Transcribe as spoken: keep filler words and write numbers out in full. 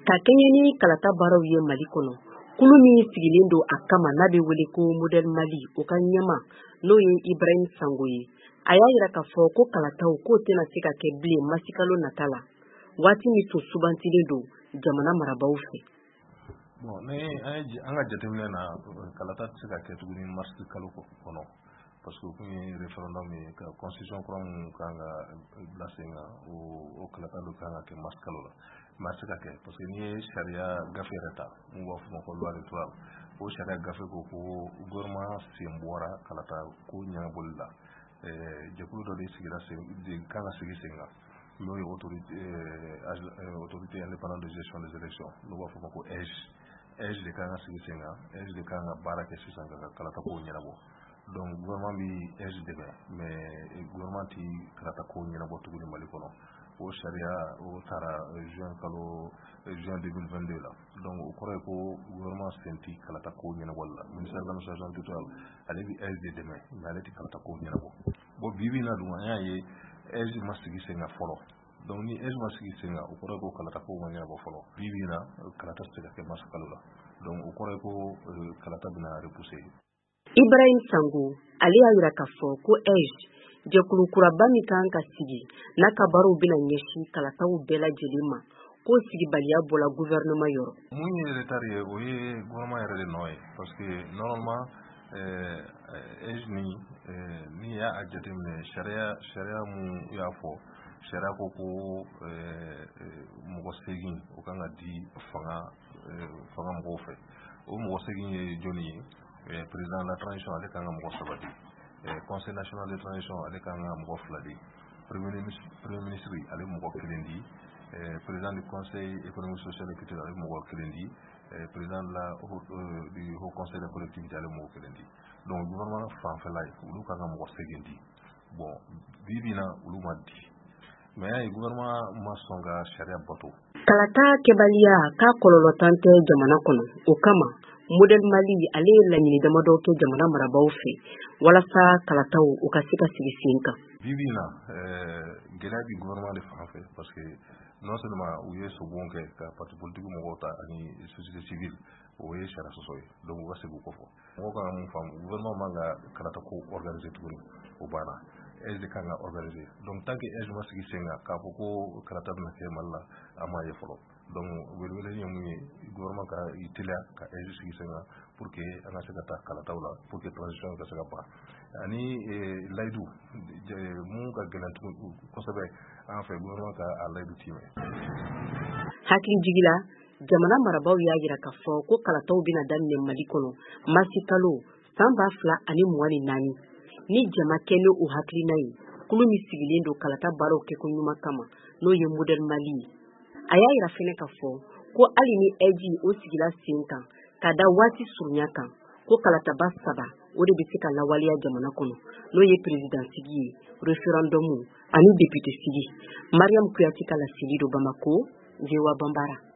Ka kɛɲɛ ni kalata baaraw ye Mali kɔnɔ, kulu min sigilen don a kama n'a bɛ wele ko Modèle Mali, o ka ɲɛma n'o ye Ibrahim Sango ye, a y'a yira k'a fɔ ko kalataw k'o tɛna se ka kɛ bilen masikalo nata la, waati min tun sugantilen don jamana marabaaw fɛ. Bon, ni an ka jateminɛ na, kalata tɛ se ka kɛ tuguni mars kalo kɔnɔ, parce que o kun ye référendum ye ka constitution kura mun kan ka bila sen kan, o kalata dɔ kan ka kɛ mars kalo la, mais a tɛ se ka kɛ, parce que n'i ye sariya gafe yɛrɛ ta mun b'a fɔ ma ko loi électorale, o sariya gafe ko ko gouvernement sen bɔra kalata ko ɲɛnabɔli la. Jɛkulu dɔ de sigira sen de kan ka sigi sen kan, n'o ye autorité autorité indépendante de gestion des élections, n'o b'a fɔ ma ko A I G E. A I G E de kan ka sigi sen kan, A I G E de kan ka baara kɛ sisan ka kalata kow ɲɛnabɔ. Donc gouvernement bi A I G E dɛmɛ, mais gouvernement ti kalata kow ɲɛnabɔ tuguni Mali kɔnɔ. O sariya o taara juin kalo, juin deux mille vingt-deux la. Donc o kɔrɔ ye ko gouvernement sen ti kalata kow ɲɛnabɔli la. Ministère de l'Administration territoriale, ale bi A I G E de dɛmɛ, mais ale ti kalata kow ɲɛnabɔ. Bon, bi bi in na dun, an y'a ye A I G E ma sigi sen kan fɔlɔ. Donc ni A I G E ma sigi sen kan, o kɔrɔ ye ko kalata kow ma ɲɛnabɔ fɔlɔ. Bi bi in na, kalata tɛ se ka kɛ mars kalo la. Donc o kɔrɔ ye ko kalata bɛna repousser. Ibrahim Sango, ale y'a yira k'a fɔ ko A I G E, jɛkulu kuraba min kan ka sigi n'a ka baaraw bɛna ɲɛsin kalataw bɛɛ lajɛlen ma, ko sigibaliya bɔla gouvernement yɔrɔ. Mun ye retard ye, o ye gouvernement yɛrɛ de nɔ ye, parce que normalement A I G E ni n'i y'a jateminɛ, sariya sariya mun y'a fɔ, sariya ko ko mɔgɔ seegin o kan ka di fanga fanga mɔgɔw fɛ. O mɔgɔ seegin ye jɔnni ye? Président de la transition, ale kan ka mɔgɔ saba di. Conseil national de transition, ale kan ka mɔgɔ fila di. Premier ministre, ale mɔgɔ kelen di. Président du Conseil économique, social et culturel, ale mɔgɔ kelen di. Président de la du Haut Conseil des collectivités, ale mɔgɔ kelen di. Donc gouvernement fanfɛla ye, olu kan ka mɔgɔ seegin di. Bon, bi bi in na, olu ma di, mais y'a ye gouvernement ma sɔn ka sariya bato. Kalata kɛbaliya k'a kɔlɔlɔtan tɛ jamana kɔnɔ. O kama, Modèle Mali, ale ye laɲini damadɔ kɛ jamana marabaaw fɛ walasa kalataw u ka se ka sigi sen kan. Bi bi in na, gɛlɛya bi gouvernement de fan fɛ, parce que non seulement u ye sobon kɛ ka parti politique mɔgɔw ta ani société civile, o ye sariya sɔsɔ ye. Donc u ka segin o kɔfɛ. Mɔgɔw kan ka mun faamu? Gouvernement man ka kalata ko organiser tuguni, o banna. A I G E de kan ka organiser. Donc tant que A I G E ma sigi sen kan k'a fɔ ko kalata bɛna kɛ Mali la, an m'a ye fɔlɔ. Donc welewele ye mun ye? Gouvernement ka i teliya ka A I G E sigi sen kan pour que an ka se ka taa kalataw la, pour que transition ka se ka ban. Ani layidu mun ka gɛlɛn tugun kosɛbɛ an fɛ, gouvernement ka a layidu timɛ. Hakili jigila, jamana marabaaw y'a yira k'a fɔ ko kalataw bɛna daminɛ Mali kɔnɔ masi kalo san ba fila ani mugan ni naani. Ni jama kɛ ni o hakilina ye, kulu min sigilen don kalata baaraw kɛko ɲuman kama, n'o ye Modèle Mali ye, a y'a yira fɛnɛ k'a fɔ ko hali ni A I G E o sigila sen kan ka da waati surunya kan, ko kalataba saba o de bɛ se ka lawaleya jamana kɔnɔ, n'o ye président sigi ye, référendum ani député sigi. Mariam Kuyate ka laseli don Bamako, V O A Banbara.